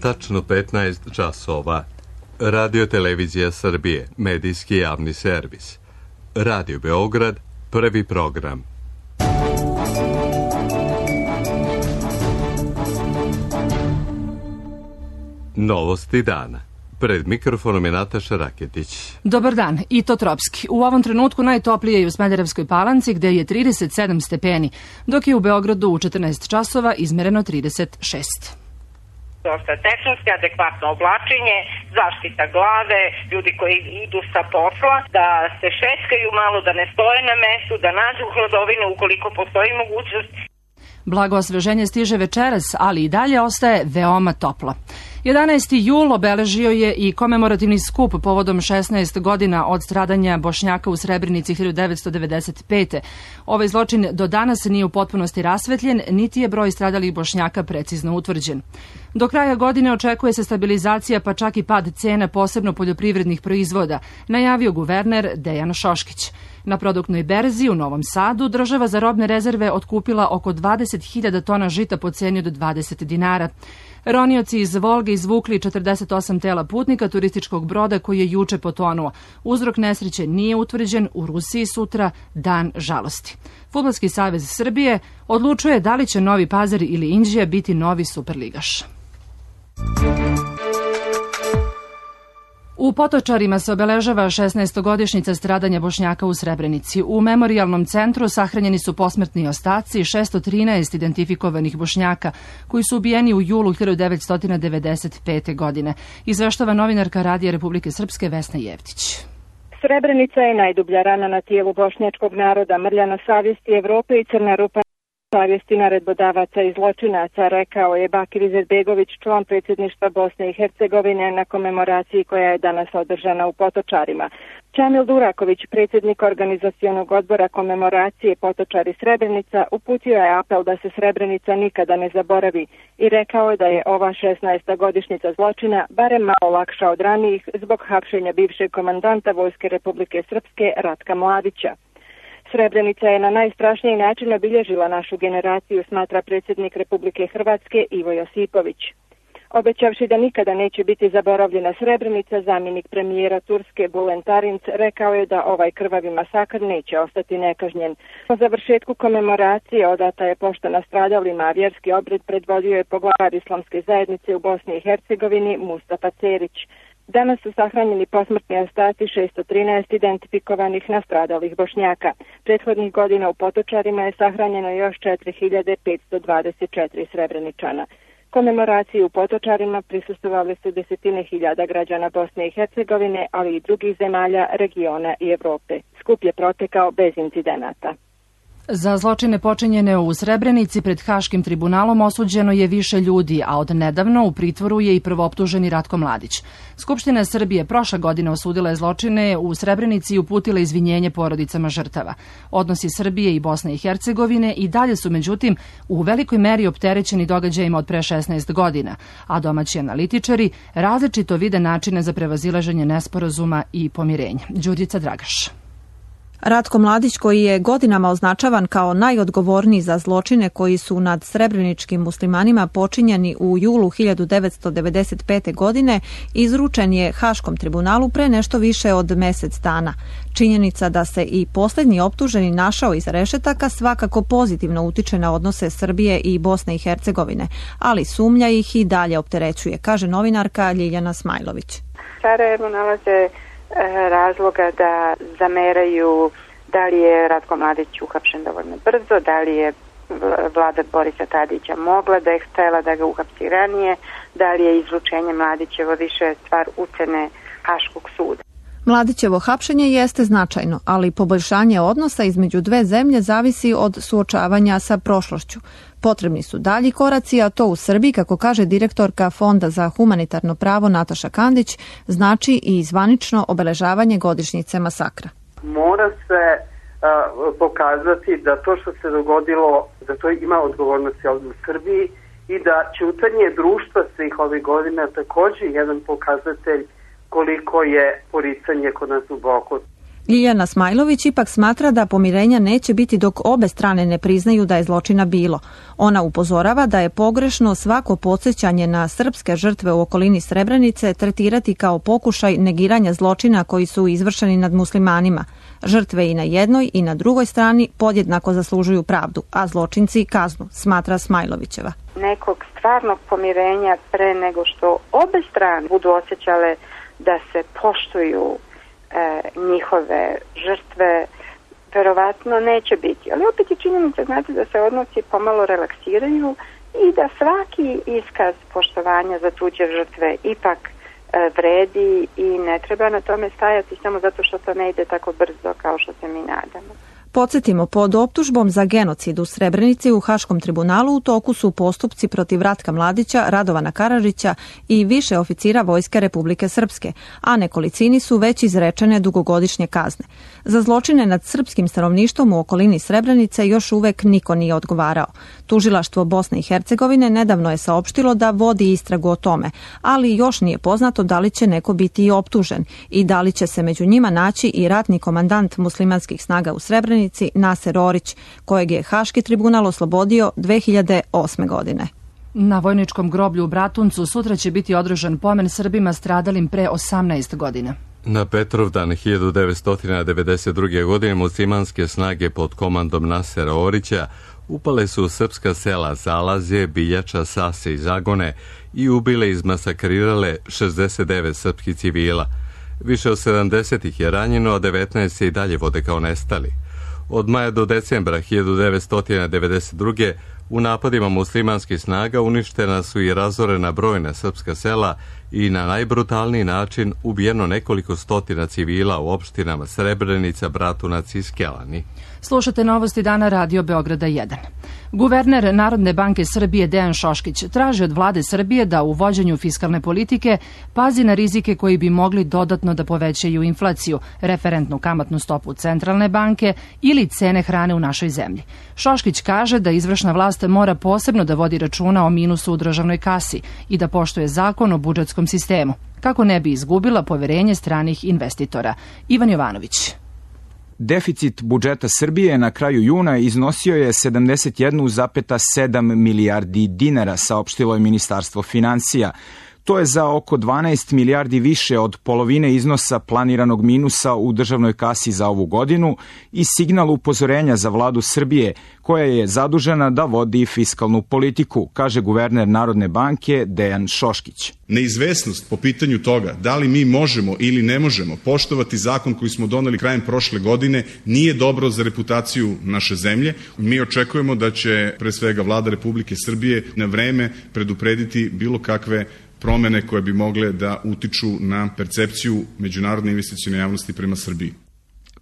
Tačno 15 časova. Radio Televizija Srbije, medijski javni servis. Radio Beograd, prvi program. Novosti dana. Pred mikrofonom je Nataša Raketić. Dobar dan, i to tropski. U ovom trenutku najtoplije je u Smederevskoj Palanci gde je 37 stepeni, dok je u Beogradu u 14 časova izmereno 36. Dosta tehnički, adekvatno oblačenje, zaštita glave, ljudi koji idu sa posla, da se šetkaju malo, da ne stoje na mestu, da nađu hladovinu ukoliko postoji mogućnost. Blago osveženje stiže večeras, ali i dalje ostaje veoma toplo. 11. jul obeležio je i komemorativni skup povodom 16 godina od stradanja Bošnjaka u Srebrenici 1995. Ovaj zločin do danas nije u potpunosti rasvetljen, niti je broj stradalih Bošnjaka precizno utvrđen. Do kraja godine očekuje se stabilizacija, pa čak i pad cena, posebno poljoprivrednih proizvoda, najavio guverner Dejan Šoškić. Na produktnoj berzi u Novom Sadu država za robne rezerve otkupila oko 20.000 tona žita po ceni od 20 dinara. Ronioci iz Volge izvukli 48 tela putnika turističkog broda koji je juče potonuo. Uzrok nesreće nije utvrđen, u Rusiji sutra dan žalosti. Fudbalski savez Srbije odlučuje da li će Novi Pazar ili Inđija biti novi superligaš. U Potočarima se obeležava 16-godišnjica stradanja Bošnjaka u Srebrenici. U memorijalnom centru sahranjeni su posmrtni ostaci 613 identifikovanih Bošnjaka koji su ubijeni u julu 1995. godine. Izveštava novinarka Radija Republike Srpske Vesna Jevtić. Srebrenica je najdublja rana na tijelu bošnjačkog naroda, mrlja na savjesti Evrope i crna rupa savjesti naredbodavaca i zločinaca, rekao je Bakir Izetbegović, član predsjedništva Bosne i Hercegovine na komemoraciji koja je danas održana u Potočarima. Čamil Duraković, predsjednik organizacionog odbora komemoracije Potočari Srebrenica, uputio je apel da se Srebrenica nikada ne zaboravi i rekao je da je ova 16. godišnjica zločina barem malo lakša od ranijih zbog hapšenja bivšeg komandanta Vojske Republike Srpske Ratka Mladića. Srebrenica je na najstrašniji način obilježila našu generaciju, smatra predsjednik Republike Hrvatske Ivo Josipović. Obećavši da nikada neće biti zaboravljena Srebrenica, zamjenik premijera Turske Bulen Tarinc rekao je da ovaj krvavi masakr neće ostati nekažnjen. Po završetku komemoracije odata je pošta nastradalima, a vjerski obred predvodio je poglavar Islamske zajednice u Bosni i Hercegovini Mustafa Cerić. Danas su sahranjeni posmrtni ostaci 613 identifikovanih nastradalih Bošnjaka. Prethodnih godina u Potočarima je sahranjeno još 4524 Srebreničana. Komemoraciji u Potočarima prisustvovali su desetine hiljada građana Bosne i Hercegovine, ali i drugih zemalja, regiona i Evrope. Skup je protekao bez incidenata. Za zločine počinjene u Srebrenici pred Haškim tribunalom osuđeno je više ljudi, a od nedavno u pritvoru je i prvooptuženi Ratko Mladić. Skupština Srbije prošle godine osudila je zločine u Srebrenici i uputila izvinjenje porodicama žrtava. Odnosi Srbije i Bosne i Hercegovine i dalje su, međutim, u velikoj meri opterećeni događajima od pre 16 godina, a domaći analitičari različito vide načine za prevazilaženje nesporazuma i pomirenja. Đurđica Dragaš. Ratko Mladić, koji je godinama označavan kao najodgovorniji za zločine koji su nad srebreničkim muslimanima počinjeni u julu 1995. godine, izručen je Haškom tribunalu pre nešto više od mesec dana. Činjenica da se i posljednji optuženi našao iza rešetaka svakako pozitivno utiče na odnose Srbije i Bosne i Hercegovine, ali sumnja ih i dalje opterećuje, kaže novinarka Ljiljana Smajlović. Sarajevo nalaze razloga da zameraju da li je Ratko Mladić uhapšen dovoljno brzo, da li je vlada Borisa Tadića mogla da je htjela da ga uhapsi ranije, da li je izručenje Mladićevo više stvar ucene Haškog suda. Mladićevo hapšenje jeste značajno, ali poboljšanje odnosa između dve zemlje zavisi od suočavanja sa prošlošću. Potrebni su dalji koraci, a to u Srbiji, kako kaže direktorka Fonda za humanitarno pravo Nataša Kandić, znači i zvanično obeležavanje godišnjice masakra. Mora se pokazati da to što se dogodilo, da to ima odgovornosti ovdje u Srbiji i da ćutanje društva svih ovih godina također jedan pokazatelj koliko je poricanje kod nas duboko. Ljiljana Smajlović ipak smatra da pomirenja neće biti dok obe strane ne priznaju da je zločina bilo. Ona upozorava da je pogrešno svako podsjećanje na srpske žrtve u okolini Srebrenice tretirati kao pokušaj negiranja zločina koji su izvršeni nad muslimanima. Žrtve i na jednoj i na drugoj strani podjednako zaslužuju pravdu, a zločinci kaznu, smatra Smajlovićeva. Nekog stvarnog pomirenja pre nego što obe strane budu osjećale da se poštuju njihove žrtve, verovatno neće biti. Ali opet je činjenica, znate, da se odnosi pomalo relaksiraju i da svaki iskaz poštovanja za tuđe žrtve ipak vredi i ne treba na tome stajati samo zato što to ne ide tako brzo kao što se mi nadamo. Podsjetimo, pod optužbom za genocid u Srebrenici u Haškom tribunalu u toku su postupci protiv Ratka Mladića, Radovana Karadžića i više oficira Vojske Republike Srpske, a nekolicini su već izrečene dugogodišnje kazne. Za zločine nad srpskim stanovništvom u okolini Srebrenice još uvek niko nije odgovarao. Tužilaštvo Bosne i Hercegovine nedavno je saopštilo da vodi istragu o tome, ali još nije poznato da li će neko biti i optužen i da li će se među njima naći i ratni komandant muslimanskih snaga u Srebrenici Naser Orić, kojeg je Haški tribunal oslobodio 2008. godine. Na vojničkom groblju u Bratuncu sutra će biti održan pomen Srbima stradalim pre 18 godina. Na Petrovdan 1992. godine muslimanske snage pod komandom Nasera Orića upale su u srpska sela Zalazje, Biljača, Sase i Zagone i ubile i izmasakrirale 69 srpskih civila. Više od 70 ih je ranjeno, a 19 se i dalje vode kao nestali. Od maja do decembra 1992. u napadima muslimanskih snaga uništena su i razorena brojna srpska sela i na najbrutalniji način ubijeno nekoliko stotina civila u opštinama Srebrenica, Bratunac i Skelani. Slušate novosti dana Radio Beograda 1. Guverner Narodne banke Srbije Dejan Šoškić traži od vlade Srbije da u vođenju fiskalne politike pazi na rizike koji bi mogli dodatno da povećaju inflaciju, referentnu kamatnu stopu Centralne banke ili cene hrane u našoj zemlji. Šoškić kaže da izvršna vlast mora posebno da vodi računa o minusu u državnoj kasi i da poštuje zakon o budžetskom sistemu, kako ne bi izgubila poverenje stranih investitora. Ivan Jovanović. Deficit budžeta Srbije na kraju juna iznosio je 71,7 milijardi dinara, saopštilo je Ministarstvo finansija. To je za oko 12 milijardi više od polovine iznosa planiranog minusa u državnoj kasi za ovu godinu i signal upozorenja za vladu Srbije, koja je zadužena da vodi fiskalnu politiku, kaže guverner Narodne banke Dejan Šoškić. Neizvesnost po pitanju toga da li mi možemo ili ne možemo poštovati zakon koji smo doneli krajem prošle godine nije dobro za reputaciju naše zemlje. Mi očekujemo da će pre svega vlada Republike Srbije na vreme preduprediti bilo kakve promene koje bi mogle da utiču na percepciju međunarodne investicione javnosti prema Srbiji.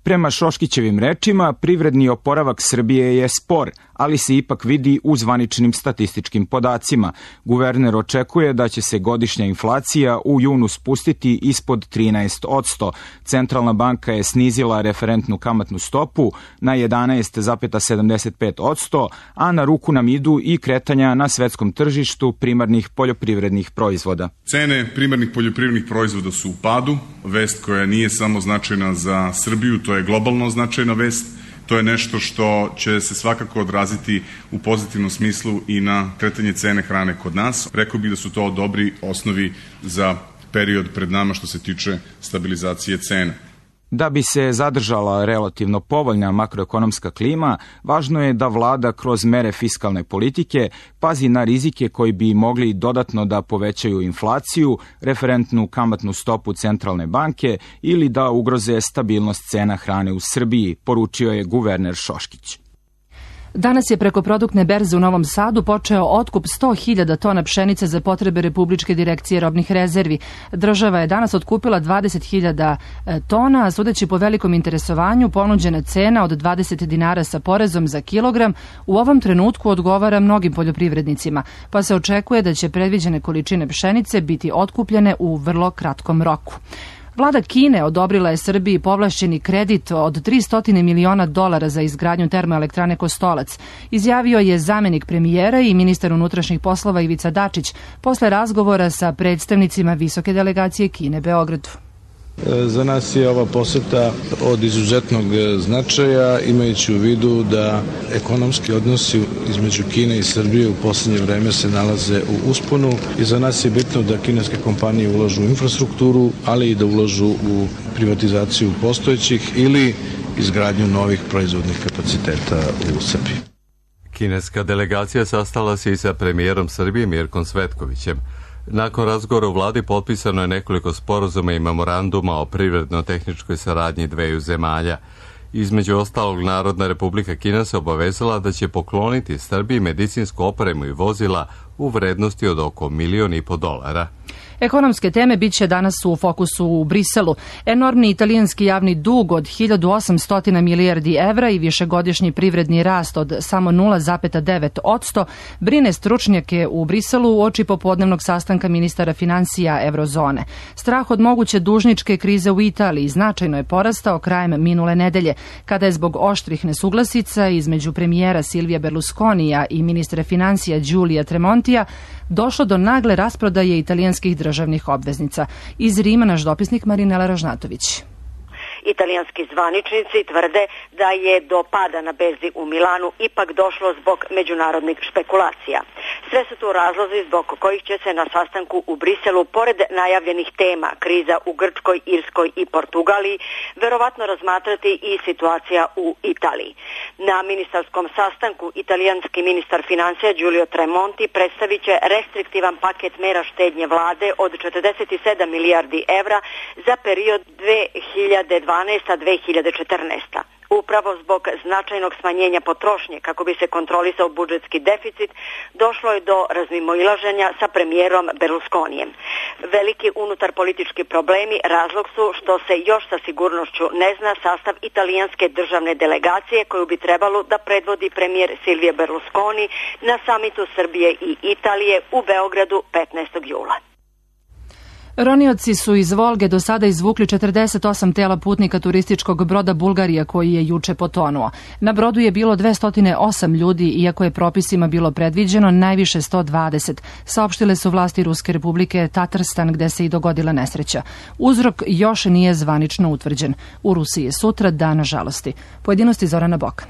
Prema Šoškićevim rečima, privredni oporavak Srbije je spor, ali se ipak vidi u zvaničnim statističkim podacima. Guverner očekuje da će se godišnja inflacija u junu spustiti ispod 13%. Centralna banka je snizila referentnu kamatnu stopu na 11,75%, a na ruku nam idu i kretanja na svetskom tržištu primarnih poljoprivrednih proizvoda. Cene primarnih poljoprivrednih proizvoda su u padu, vest koja nije samo značajna za Srbiju, to je globalno značajna vest. To je nešto što će se svakako odraziti u pozitivnom smislu i na kretanje cene hrane kod nas. Rekao bih da su to dobri osnovi za period pred nama što se tiče stabilizacije cena. Da bi se zadržala relativno povoljna makroekonomska klima, važno je da vlada kroz mere fiskalne politike pazi na rizike koji bi mogli dodatno da povećaju inflaciju, referentnu kamatnu stopu Centralne banke ili da ugroze stabilnost cena hrane u Srbiji, poručio je guverner Šoškić. Danas je preko produktne berze u Novom Sadu počeo otkup 100.000 tona pšenice za potrebe Republičke direkcije robnih rezervi. Država je danas otkupila 20.000 tona, a sudeći po velikom interesovanju ponuđena cena od 20 dinara sa porezom za kilogram u ovom trenutku odgovara mnogim poljoprivrednicima, pa se očekuje da će predviđene količine pšenice biti otkupljene u vrlo kratkom roku. Vlada Kine odobrila je Srbiji povlašćeni kredit od $300 miliona za izgradnju termoelektrane Kostolac, izjavio je zamenik premijera i ministar unutrašnjih poslova Ivica Dačić posle razgovora sa predstavnicima visoke delegacije Kine Beogradu. Za nas je ova poseta od izuzetnog značaja, imajući u vidu da ekonomski odnosi između Kine i Srbije u posljednje vreme se nalaze u usponu i za nas je bitno da kineske kompanije ulažu u infrastrukturu, ali i da ulažu u privatizaciju postojećih ili izgradnju novih proizvodnih kapaciteta u Srbiji. Kineska delegacija sastala se i sa premijerom Srbije Mirkom Cvetkovićem. Nakon razgovora u vladi potpisano je nekoliko sporazuma i memoranduma o privredno-tehničkoj saradnji dveju zemalja. Između ostalog, Narodna Republika Kina se obavezala da će pokloniti Srbiji medicinsku opremu i vozila u vrednosti od oko $1,5 miliona. Ekonomske teme bit će danas u fokusu u Briselu. Enormni italijanski javni dug od 1800 milijardi evra i višegodišnji privredni rast od samo 0,9% brine stručnjake u Briselu uoči popodnevnog sastanka ministara financija Eurozone. Strah od moguće dužničke krize u Italiji značajno je porastao krajem minule nedelje, kada je zbog oštrih nesuglasica između premijera Silvija Berlusconija i ministra financija Giulia Tremontija došlo do nagle rasprodaje italijanskih državnih obveznica. Iz Rima naš dopisnik Marinela Ražnatović. Italijanski zvaničnici tvrde da je do pada na berzi u Milanu ipak došlo zbog međunarodnih špekulacija. Sve su tu razlozi zbog kojih će se na sastanku u Briselu, pored najavljenih tema kriza u Grčkoj, Irskoj i Portugaliji, verovatno razmatrati i situacija u Italiji. Na ministarskom sastanku italijanski ministar financija Giulio Tremonti predstavit će restriktivan paket mera štednje vlade od 47 milijardi evra za period 2012-2014. Upravo zbog značajnog smanjenja potrošnje kako bi se kontrolisao budžetski deficit, došlo je do razmimoilaženja sa premijerom Berlusconijem. Veliki unutar politički problemi razlog su što se još sa sigurnošću ne zna sastav italijanske državne delegacije koju bi trebalo da predvodi premijer Silvio Berlusconi na samitu Srbije i Italije u Beogradu 15. jula. Ronioci su iz Volge do sada izvukli 48 tela putnika turističkog broda Bulgarija koji je juče potonuo. Na brodu je bilo 208 ljudi, iako je propisima bilo predviđeno najviše 120, saopštile su vlasti Ruske republike Tatarstan gde se i dogodila nesreća. Uzrok još nije zvanično utvrđen. U Rusiji je sutra dan žalosti. Pojedinosti Zorana Bokan.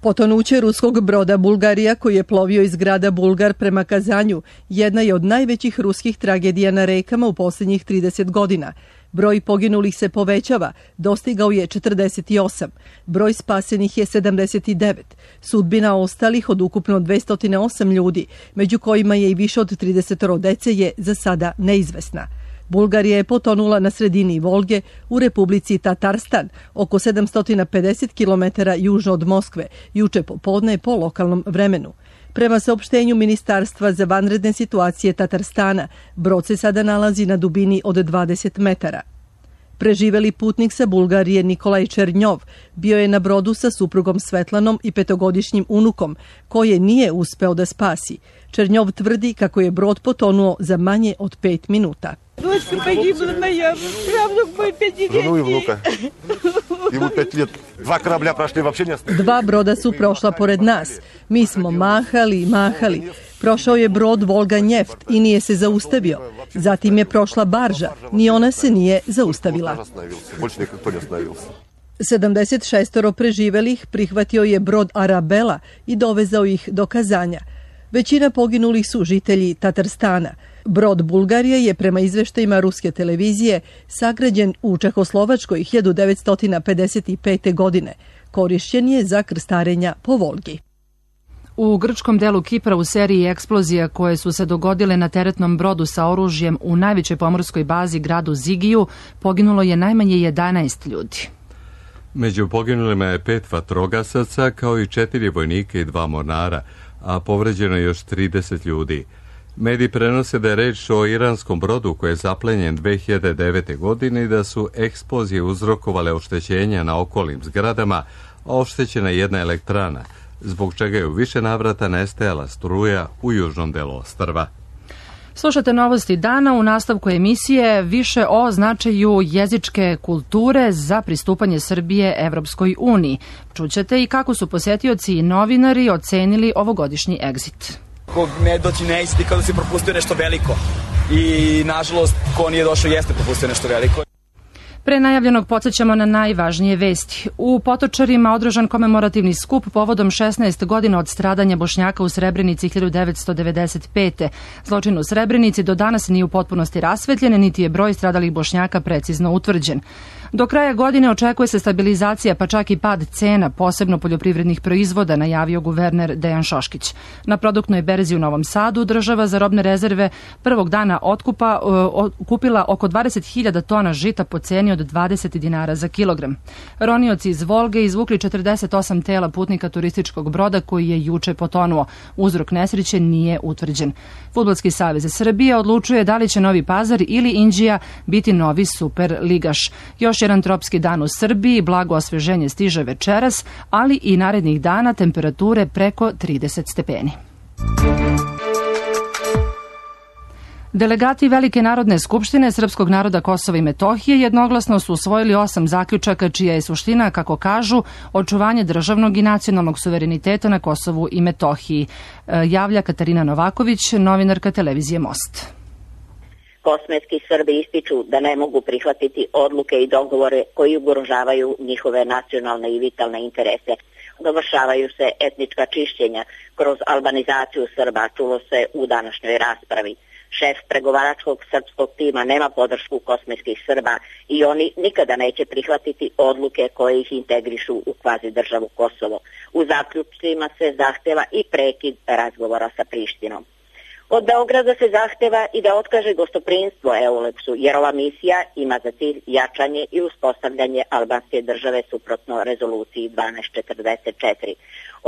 Potonuće ruskog broda Bulgarija koji je plovio iz grada Bulgar prema Kazanju jedna je od najvećih ruskih tragedija na rekama u posljednjih 30 godina. Broj poginulih se povećava, dostigao je 48. Broj spasenih je 79. Sudbina ostalih od ukupno 208 ljudi, među kojima je i više od 30 dece, je za sada neizvesna. Bulgarija je potonula na sredini Volge u Republici Tatarstan, oko 750 km južno od Moskve, juče popodne po lokalnom vremenu. Prema saopštenju Ministarstva za vanredne situacije Tatarstana, brod se sada nalazi na dubini od 20 metara. Preživeli putnik sa Bulgarije Nikolaj Černjov bio je na brodu sa suprugom Svetlanom i 5-godišnjim unukom, koje nije uspeo da spasi. Černjov tvrdi kako je brod potonuo za manje od 5 minuta. Дочка погибла моя, правнук мой 5 Жену и внука. Ему 5 лет. 2 корабля прошли, вообще не остановились. 2 broda su prošla pored nas. Mi smo mahali i mahali. Prošao je brod Volga Njeft i nije se zaustavio. Zatim je prošla barža, ni ona se nije zaustavila. 76 preživelih prihvatio je brod Arabela i dovezao ih do Kazanja. Većina poginulih su žitelji Tatarstana. Brod Bulgarije je prema izveštajima ruske televizije sagrađen u Čehoslovačkoj 1955. godine. Korišćen je za krstarenja po Volgi. U grčkom delu Kipra u seriji eksplozija koje su se dogodile na teretnom brodu sa oružjem u najvećoj pomorskoj bazi gradu Zigiju poginulo je najmanje 11 ljudi. Među poginulima je 5 vatrogasaca kao i 4 vojnika i 2 mornara, a povređeno je još 30 ljudi. Mediji prenose da je reč o iranskom brodu koji je zaplenjen 2009. godine i da su eksplozije uzrokovale oštećenja na okolnim zgradama, a oštećena jedna elektrana, zbog čega je u više navrata nestajala struja u južnom delu ostrva. Slušate novosti dana, u nastavku emisije više o značaju jezičke kulture za pristupanje Srbije Evropskoj uniji. Čućete i kako su posetioci i novinari ocenili ovogodišnji egzit. Ko ne doći ne isti kao da si propustio nešto veliko i nažalost ko nije došao jeste propustio nešto veliko. Pre najavljenog podsjećamo na najvažnije vesti. U Potočarima održan komemorativni skup povodom 16 godina od stradanja Bošnjaka u Srebrenici 1995. Zločin u Srebrenici do danas nije u potpunosti rasvetljen, niti je broj stradalih Bošnjaka precizno utvrđen. Do kraja godine očekuje se stabilizacija, pa čak i pad cena, posebno poljoprivrednih proizvoda, najavio guverner Dejan Šoškić. Na produktnoj berzi u Novom Sadu država za robne rezerve prvog dana otkupa kupila oko 20.000 tona žita po ceni od 20 dinara za kilogram. Ronioci iz Volge izvukli 48 tela putnika turističkog broda koji je juče potonuo. Uzrok nesreće nije utvrđen. Fudbalski savez Srbije odlučuje da li će Novi Pazar ili Inđija biti novi super ligaš. Još jedan tropski dan u Srbiji, blago osveženje stiže večeras, ali i narednih dana temperature preko 30 stepeni. Delegati Velike narodne skupštine Srpskog naroda Kosova i Metohije jednoglasno su usvojili 8 zaključaka čija je suština, kako kažu, očuvanje državnog i nacionalnog suvereniteta na Kosovu i Metohiji. Javlja Katarina Novaković, novinarka televizije Most. Kosmetski Srbi ističu da ne mogu prihvatiti odluke i dogovore koji ugrožavaju njihove nacionalne i vitalne interese. Dovršavaju se etnička čišćenja kroz albanizaciju Srba, čulo se u današnjoj raspravi. Šef pregovaračkog srpskog tima nema podršku kosmetskih Srba i oni nikada neće prihvatiti odluke koje ih integrišu u kvazi državu Kosovo. U zaključcima se zahteva i prekid razgovora sa Prištinom. Od Beograda se zahteva i da otkaže gostoprinstvo EULEX-u, jer ova misija ima za cilj jačanje i uspostavljanje albanske države suprotno rezoluciji 1244.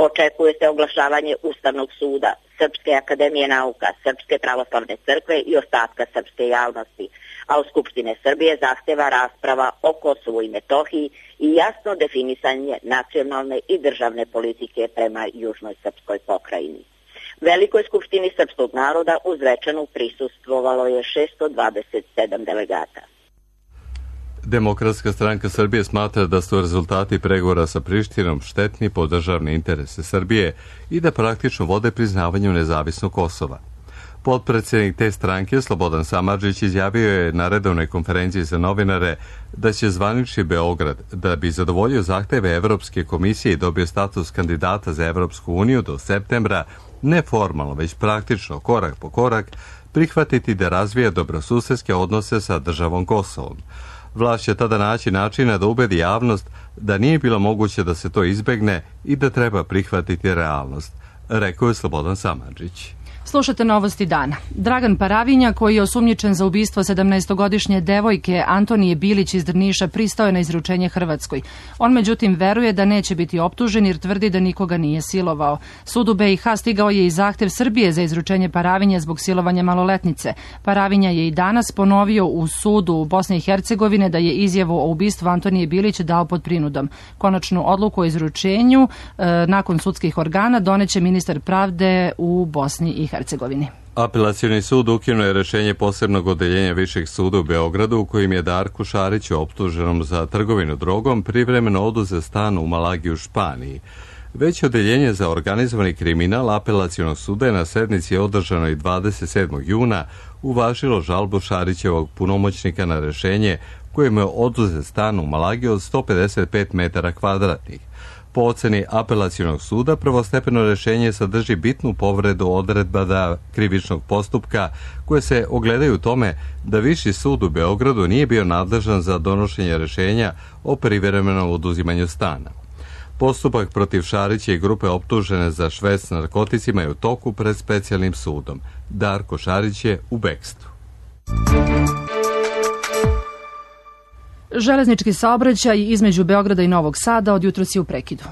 Očekuje se oglašavanje Ustavnog suda, Srpske akademije nauka, Srpske pravoslavne crkve i ostatka srpske javnosti, a u Skupštine Srbije zahteva rasprava o Kosovu i Metohiji i jasno definisanje nacionalne i državne politike prema južnoj srpskoj pokrajini. Velikoj skupštini srpskog naroda u Zvečanu prisustvovalo je 627 delegata. Demokratska stranka Srbije smatra da su rezultati pregovora sa Prištinom štetni po državne interese Srbije i da praktično vode priznavanju nezavisnog Kosova. Potpredsednik te stranke, Slobodan Samardžić, izjavio je na redovnoj konferenciji za novinare da će zvanični Beograd, da bi zadovoljio zahteve Evropske komisije i dobio status kandidata za Evropsku uniju do septembra, ne formalno, već praktično, korak po korak, prihvatiti da razvija dobrosusedske odnose sa državom Kosovom. Vlast će tada naći načina da ubedi javnost da nije bilo moguće da se to izbegne i da treba prihvatiti realnost, rekao je Slobodan Samardžić. Slušate novosti dana. Dragan Paravinja, koji je osumnjičen za ubistvo 17-godišnje devojke Antonije Bilić iz Drniša, pristao je na izručenje Hrvatskoj. On međutim veruje da neće biti optužen jer tvrdi da nikoga nije silovao. Sudu BiH stigao je i zahtev Srbije za izručenje Paravinja zbog silovanja maloletnice. Paravinja je i danas ponovio u sudu u Bosne i Hercegovine da je izjavu o ubistvu Antonije Bilić dao pod prinudom. Konačnu odluku o izručenju nakon sudskih organa doneće ministar pravde u Bosni i Hercegovini. Apelacioni sud ukinuo je rešenje posebnog odeljenja Višeg suda u Beogradu u kojim je Darku Šariću, optuženom za trgovinu drogom, privremeno oduzet stan u Malagi u Španiji. Veće odeljenje za organizovani kriminal Apelacionog suda je na sednici održanoj 27. juna uvažilo žalbu Šarićevog punomoćnika na rešenje kojem je oduzet stan u Malagi od 155 metara kvadratnih. Po oceni Apelacionog suda, prvostepeno rešenje sadrži bitnu povredu odredaba krivičnog postupka koje se ogledaju u tome da Viši sud u Beogradu nije bio nadležan za donošenje rešenja o privremenom oduzimanju stana. Postupak protiv Šarića i grupe optužene za šverc s narkoticima je u toku pred specijalnim sudom. Darko Šarić je u bekstvu. Železnički saobraćaj između Beograda i Novog Sada od jutros je u prekidu.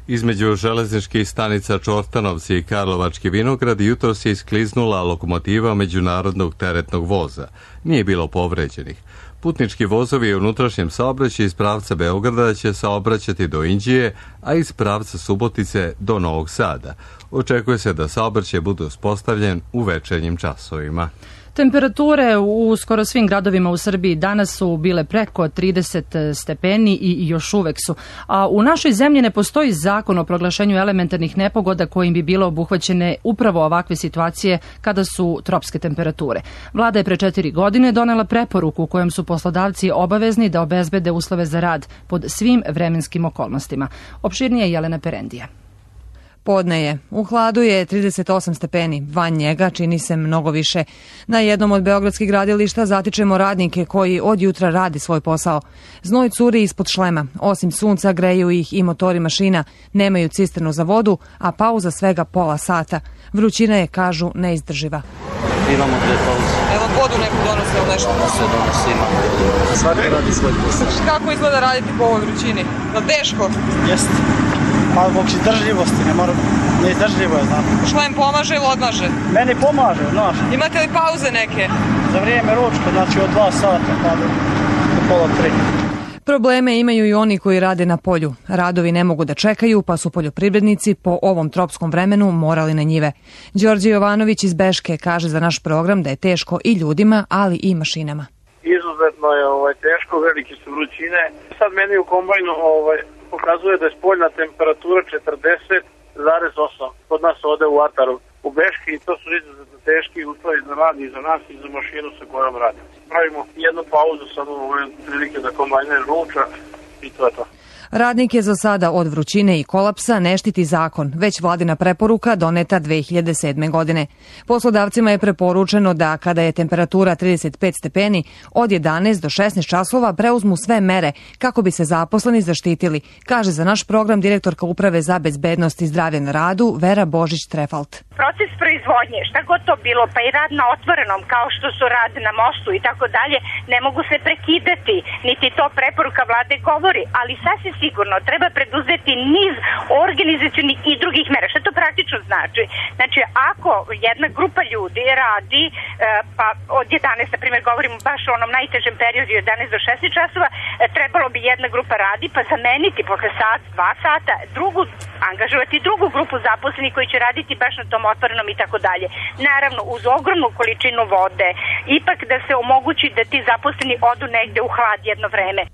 Između železničkih stanica Čortanovci i Karlovački Vinograd jutros je iskliznula lokomotiva međunarodnog teretnog voza. Nije bilo povređenih. Putnički vozovi u unutrašnjem saobraćaju iz pravca Beograda će saobraćati do Inđije, a iz pravca Subotice do Novog Sada. Očekuje se da saobraćaj bude uspostavljen u večernjim časovima. Temperature u skoro svim gradovima u Srbiji danas su bile preko 30 stepeni i još uvek su. A u našoj zemlji ne postoji zakon o proglašenju elementarnih nepogoda kojim bi bilo obuhvaćene upravo ovakve situacije kada su tropske temperature. Vlada je pre 4 godine donela preporuku u kojem su poslodavci obavezni da obezbede uslove za rad pod svim vremenskim okolnostima. Opširnije je Jelena Perendija. Podne je. U hladu je 38 stepeni. Van njega čini se mnogo više. Na jednom od beogradskih gradilišta zatičemo radnike koji od jutra radi svoj posao. Znoj curi ispod šlema. Osim sunca greju ih i motori mašina. Nemaju cisternu za vodu, a pauza svega pola sata. Vrućina je, kažu, neizdrživa. Imamo 2 pauze. Evo vodu neku donose ili nešto? Sve donose, imamo. Svaki radi svoj posao. Kako izgleda raditi po ovoj vrućini? Je li teško? Jeste. Malo zbog izdržljivosti, neizdržljivo je, znam. Šlem pomaže ili odmaže? Meni pomaže, znaš. Imate li pauze neke? Za vrijeme ručka, znači od 2 sata pa do pola 3. Probleme imaju i oni koji rade na polju. Radovi ne mogu da čekaju, pa su poljoprivrednici po ovom tropskom vremenu morali na njive. Đorđe Jovanović iz Beške kaže za naš program da je teško i ljudima, ali i mašinama. Izuzetno je teško, velike su vrućine. Sad meni u kombajnu pokazuje da je spoljna temperatura 40,8 kod nas ovde u Ataru u Beški i to su izuzetno teški uslovi za rad i za nas i za mašinu sa kojom radimo. Pravimo jednu pauzu sad u ove prilike da kombajner ruča i to je to. Radnike za sada od vrućine i kolapsa ne štiti zakon, već vladina preporuka doneta 2007. godine. Poslodavcima je preporučeno da kada je temperatura 35 stepeni, od 11 do 16 časova preuzmu sve mere kako bi se zaposleni zaštitili, kaže za naš program direktorka Uprave za bezbednost i zdravlje na radu Vera Božić-Trefalt. Proces proizvodnje, šta god to bilo, pa i rad na otvorenom, kao što su rad na mostu i tako dalje, ne mogu se prekidati, niti to preporuka vlade govori, ali sasvim sigurno treba preduzeti niz organizacionih i drugih mera. Šta to praktično znači? Znači, ako jedna grupa ljudi radi, pa od 11, na primjer, govorimo baš o onom najtežem periodu, 11 do 16 časova, trebalo bi jedna grupa radi, pa zameniti posle sat, 2 sata, angažovati drugu grupu zaposlenih koji će raditi baš na tom otvorenom i tako dalje. Naravno, uz ogromnu količinu vode, ipak da se omogući da ti zaposleni odu negde u hlad jedno vreme.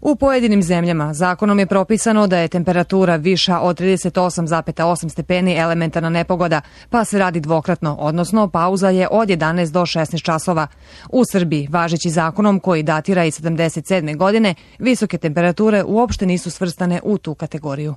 U pojedinim zemljama zakonom je propisano da je temperatura viša od 38,8 stepeni elementarna nepogoda, pa se radi dvokratno, odnosno pauza je od 11 do 16 časova. U Srbiji, važeći zakonom koji datira iz 77. godine, visoke temperature uopšte nisu svrstane u tu kategoriju.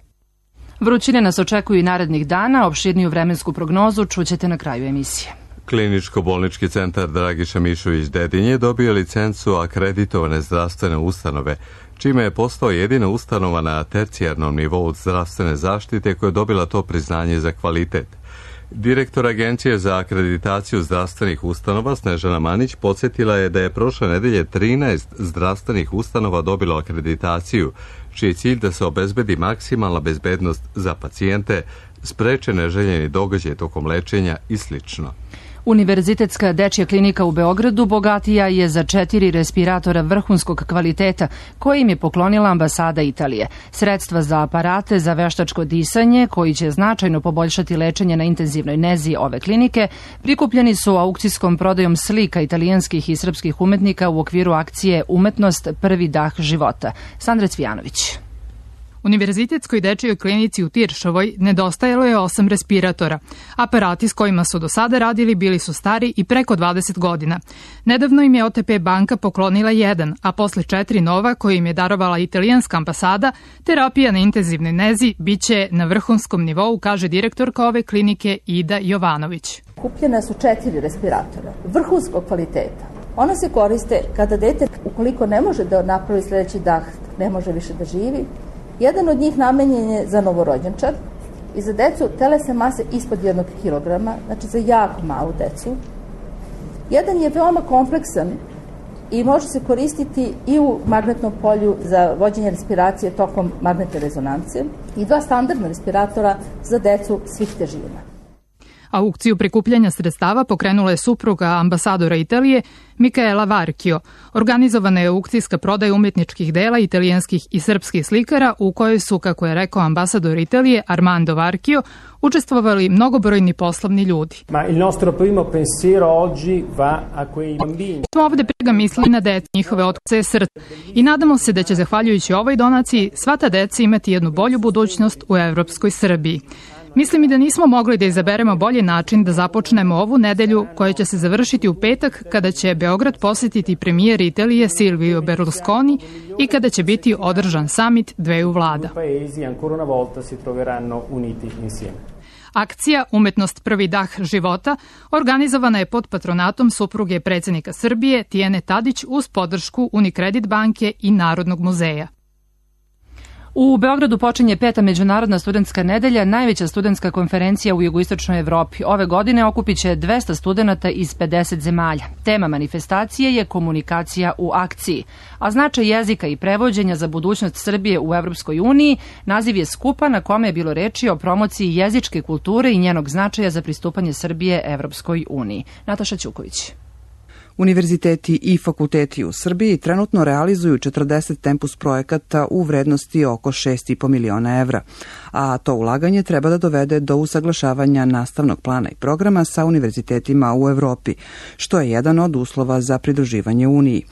Vrućine nas očekuju i narednih dana, opširniju vremensku prognozu čućete na kraju emisije. Kliničko-bolnički centar Dragiša Mišović Dedinje dobio licencu akreditovane zdravstvene ustanove, čime je postao jedina ustanova na tercijarnom nivou zdravstvene zaštite koja je dobila to priznanje za kvalitet. Direktor Agencije za akreditaciju zdravstvenih ustanova Snežana Manić podsjetila je da je prošle nedelje 13 zdravstvenih ustanova dobilo akreditaciju, čiji je cilj da se obezbedi maksimalna bezbednost za pacijente, spreče neželjeni događaj tokom lečenja i slično. Univerzitetska dečja klinika u Beogradu bogatija je za 4 respiratora vrhunskog kvaliteta koje im je poklonila ambasada Italije. Sredstva za aparate za veštačko disanje, koji će značajno poboljšati lečenje na intenzivnoj nezi ove klinike, prikupljeni su aukcijskom prodajom slika italijanskih i srpskih umetnika u okviru akcije Umetnost prvi dah života. Sandra Cvijanović. Univerzitetskoj dečijoj klinici u Tiršovoj nedostajalo je 8 respiratora. Aparati s kojima su do sada radili bili su stari i preko 20 godina. Nedavno im je OTP banka poklonila 1, a posle 4 nova koje im je darovala italijanska ambasada, terapija na intenzivnoj nezi biće na vrhunskom nivou, kaže direktorka ove klinike Ida Jovanović. Kupljena su 4 respiratora vrhunskog kvaliteta. Ona se koriste kada dete, ukoliko ne može da napravi sledeći dah, ne može više da živi. Jedan od njih namenjen je za novorođenčad i za decu telesne mase ispod 1 kilograma, znači za jako malu decu. Jedan je veoma kompleksan i može se koristiti i u magnetnom polju za vođenje respiracije tokom magnetne rezonance i 2 standardna respiratora za decu svih težina. Aukciju prikupljanja sredstava pokrenula je supruga ambasadora Italije Micaela Varchio. Organizovana je aukcijska prodaja umetničkih dela italijanskih i srpskih slikara u kojoj su, kako je rekao ambasador Italije Armando Varchio, učestvovali mnogobrojni poslovni ljudi. Ma il nostro primo pensiero oggi va a quei bambini. Smo ovde prega mislili na decu, njihove otkuce srca i nadamo se da će zahvaljujući ovoj donaciji sva ta deca imati jednu bolju budućnost u evropskoj Srbiji. Mislim i da nismo mogli da izaberemo bolji način da započnemo ovu nedelju koja će se završiti u petak kada će Beograd posetiti premijer Italije Silvio Berlusconi i kada će biti održan samit dveju vlada. Akcija Umetnost prvi dah života organizovana je pod patronatom supruge predsjednika Srbije Tijene Tadić uz podršku Unicredit banke i Narodnog muzeja. U Beogradu počinje 5. Međunarodna studentska nedelja, najveća studentska konferencija u jugoistočnoj Evropi. Ove godine okupit će 200 studenata iz 50 zemalja. Tema manifestacije je komunikacija u akciji, a značaj jezika i prevođenja za budućnost Srbije u Evropskoj uniji naziv je skupa na kome je bilo reči o promociji jezičke kulture i njenog značaja za pristupanje Srbije Evropskoj uniji. Nataša Ćuković. Univerziteti i fakulteti u Srbiji trenutno realizuju 40 tempus projekata u vrednosti oko 6,5 miliona evra, a to ulaganje treba da dovede do usaglašavanja nastavnog plana i programa sa univerzitetima u Evropi, što je jedan od uslova za pridruživanje Uniji.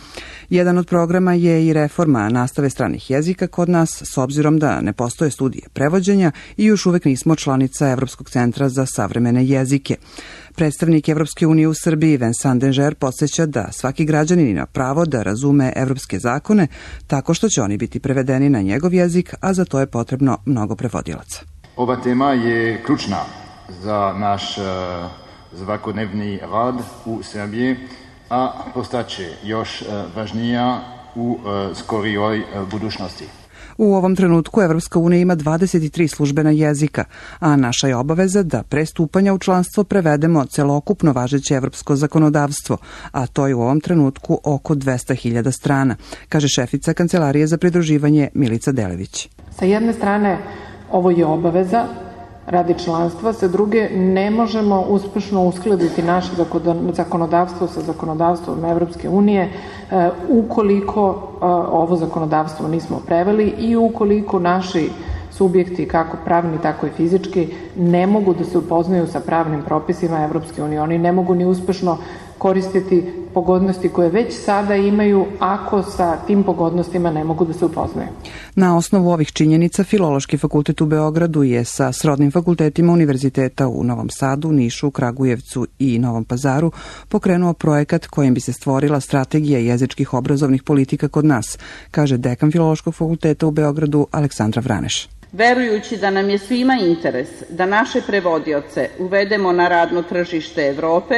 Jedan od programa je i reforma nastave stranih jezika kod nas, s obzirom da ne postoje studije prevođenja i još uvek nismo članica Evropskog centra za savremene jezike. Predstavnik Evropske unije u Srbiji Vincent Denger podsjeća da svaki građanin ima pravo da razume evropske zakone tako što će oni biti prevedeni na njegov jezik, a za to je potrebno mnogo prevodilaca. Ova tema je ključna za naš svakodnevni rad u Srbiji, a postaće još važnija u skorijoj budućnosti. U ovom trenutku Evropska unija ima 23 službena jezika, a naša je obaveza da pre stupanja u članstvo prevedemo celokupno važeće evropsko zakonodavstvo, a to je u ovom trenutku oko 200.000 strana, kaže šefica Kancelarije za pridruživanje Milica Delević. Sa jedne strane ovo je obaveza radi članstva, sa druge ne možemo uspešno uskladiti naše zakonodavstvo sa zakonodavstvom Evropske unije ukoliko ovo zakonodavstvo nismo preveli i ukoliko naši subjekti, kako pravni, tako i fizički, ne mogu da se upoznaju sa pravnim propisima Evropske unije. Oni ne mogu ni uspešno koristiti pogodnosti koje već sada imaju ako sa tim pogodnostima ne mogu da se upoznaju. Na osnovu ovih činjenica Filološki fakultet u Beogradu je sa srodnim fakultetima univerziteta u Novom Sadu, Nišu, Kragujevcu i Novom Pazaru pokrenuo projekat kojim bi se stvorila strategija jezičkih obrazovnih politika kod nas, kaže dekan Filološkog fakulteta u Beogradu Aleksandra Vraneš. Verujući da nam je svima interes da naše prevodioce uvedemo na radno tržište Evrope,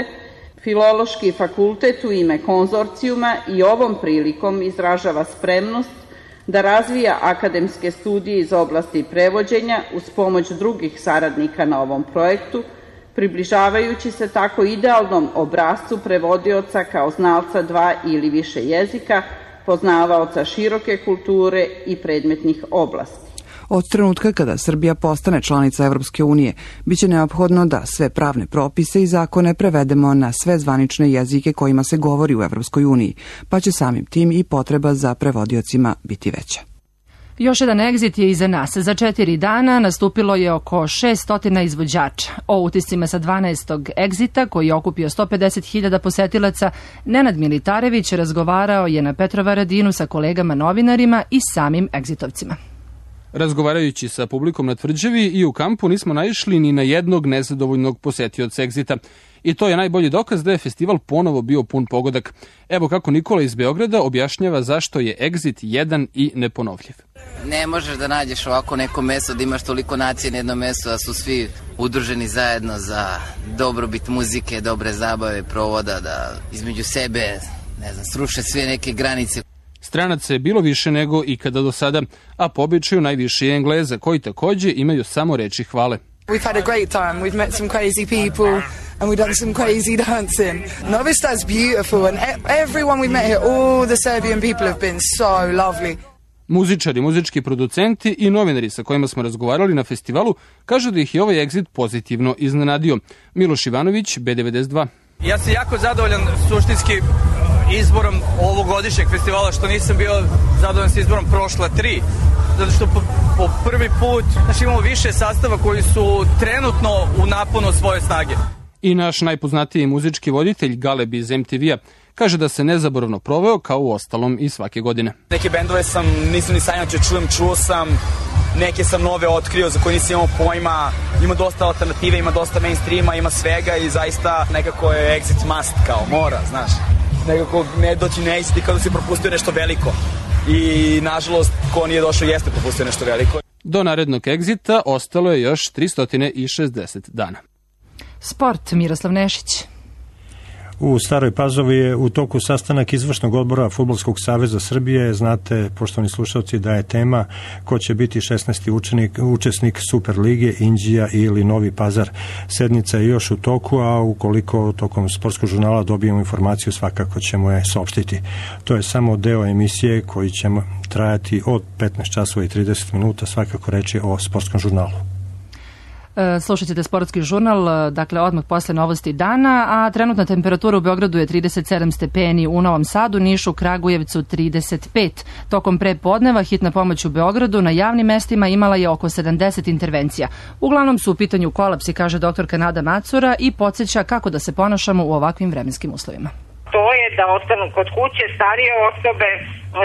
Filološki fakultet u ime konzorcijuma i ovom prilikom izražava spremnost da razvija akademske studije iz oblasti prevođenja uz pomoć drugih saradnika na ovom projektu, približavajući se tako idealnom obrascu prevodioca kao znalca 2 ili više jezika, poznavaoca široke kulture i predmetnih oblasti. Od trenutka kada Srbija postane članica Evropske unije, biće neophodno da sve pravne propise i zakone prevedemo na sve zvanične jezike kojima se govori u Evropskoj uniji, pa će samim tim i potreba za prevodiocima biti veća. Još jedan egzit je iza nas. Za 4 dana nastupilo je oko 600 izvođača. O utiscima sa 12. egzita, koji je okupio 150.000 posetilaca, Nenad Militarević razgovarao je na Petrovaradinu sa kolegama novinarima i samim egzitovcima. Razgovarajući sa publikom na tvrđavi i u kampu nismo naišli ni na jednog nezadovoljnog posetioca egzita. I to je najbolji dokaz da je festival ponovo bio pun pogodak. Evo kako Nikola iz Beograda objašnjava zašto je egzit jedan i neponovljiv. Ne možeš da nađeš ovako neko mesto da imaš toliko nacije na jednom mestu, da su svi udruženi zajedno za dobrobit muzike, dobre zabave, provoda, da između sebe, sruše sve neke granice. Stranaca je bilo više nego ikada do sada, a po običaju najviše je Engleza, koji takođe imaju samo reči hvale. We've had a great time. We've met some crazy people and we've done some crazy dancing. Novi Sad's beautiful and everyone we met here, all the Serbian people have been so lovely. Muzičari, muzički producenti i novinari sa kojima smo razgovarali na festivalu kažu da ih je ovaj exit pozitivno iznenadio. Miloš Ivanović, B92. Ja sam jako zadovoljan suštinski izborom ovogodišnjeg festivala, što nisam bio zadovoljan s izborom prošla 3. Zato što po prvi put imamo više sastava koji su trenutno u naponu svoje snage. I naš najpoznatiji muzički voditelj Galeb iz MTV-a kaže da se nezaboravno proveo kao u ostalom i svake godine. Neke bendove nisam ni sanjao čuo sam, neke sam nove otkrio za koje nisam imao pojma, ima dosta alternative, ima dosta mainstreama, ima svega i zaista nekako je exit must, kao mora, znaš. Nekako ne doći ne isti kao da si propustio nešto veliko i nažalost ko nije došao jeste propustio nešto veliko. Do narednog egzita ostalo je još 360 dana. Sport, Miroslav Nešić. U Staroj Pazovi je u toku sastanak izvršnog odbora Fudbalskog saveza Srbije. Znate, poštovani slušalci, da je tema ko će biti 16. učesnik Super lige, Inđija ili Novi Pazar. Sednica je još u toku, a ukoliko tokom sportskog žurnala dobijemo informaciju, svakako ćemo je saopštiti. To je samo deo emisije koji će trajati od 15 časova i 30 minuta, svakako reći o sportskom žurnalu. Slušat ćete sportski žurnal, dakle odmah posle novosti dana, a trenutna temperatura u Beogradu je 37 stepeni, u Novom Sadu, Nišu, Kragujevcu 35. Tokom prepodneva hitna pomoć u Beogradu na javnim mestima imala je oko 70 intervencija. Uglavnom su u pitanju kolapsi, kaže doktorka Nada Macura i podsjeća kako da se ponašamo u ovakvim vremenskim uslovima. To je da ostanu kod kuće starije osobe,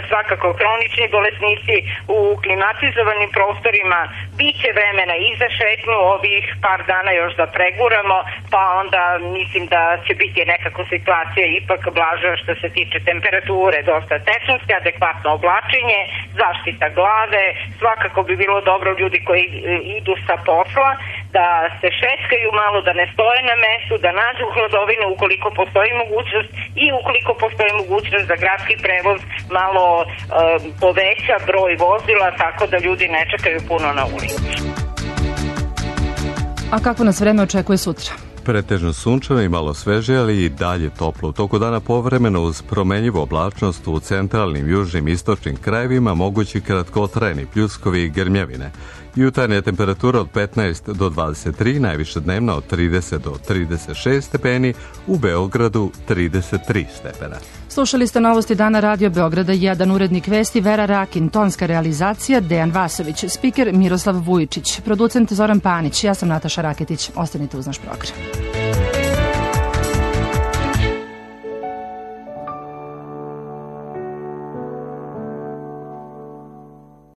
svakako hronični bolesnici u klimatizovanim prostorima. Biće vremena i za šetnju ovih par dana još da preguramo, pa onda mislim da će biti nekako situacija ipak blaža što se tiče temperature, dosta tečnosti, adekvatno oblačenje, zaštita glave. Svakako bi bilo dobro ljudi koji idu sa posla da se šetkaju malo, da ne stoje na mestu, da nađu hladovinu ukoliko postoji mogućnost i ukoliko postoji mogućnost za gradski prevoz malo poveća broj vozila tako da ljudi ne čekaju puno na ulici. A kako nas vreme očekuje sutra? Pretežno sunčano i malo sveže, ali i dalje toplo. U toku dana povremeno uz promenljivu oblačnost u centralnim, južnim i istočnim krajevima mogući kratkotrajni pljuskovi i grmljavine. Jutarnja temperatura od 15 do 23, najviša dnevna od 30 do 36 stepeni, u Beogradu 33 stepena. Slušali ste novosti dana Radio Beograda 1, urednik vesti Vera Rakin, tonska realizacija Dejan Vasović, spiker Miroslav Vujičić, producent Zoran Panić, ja sam Nataša Raketić. Ostanite uz naš program.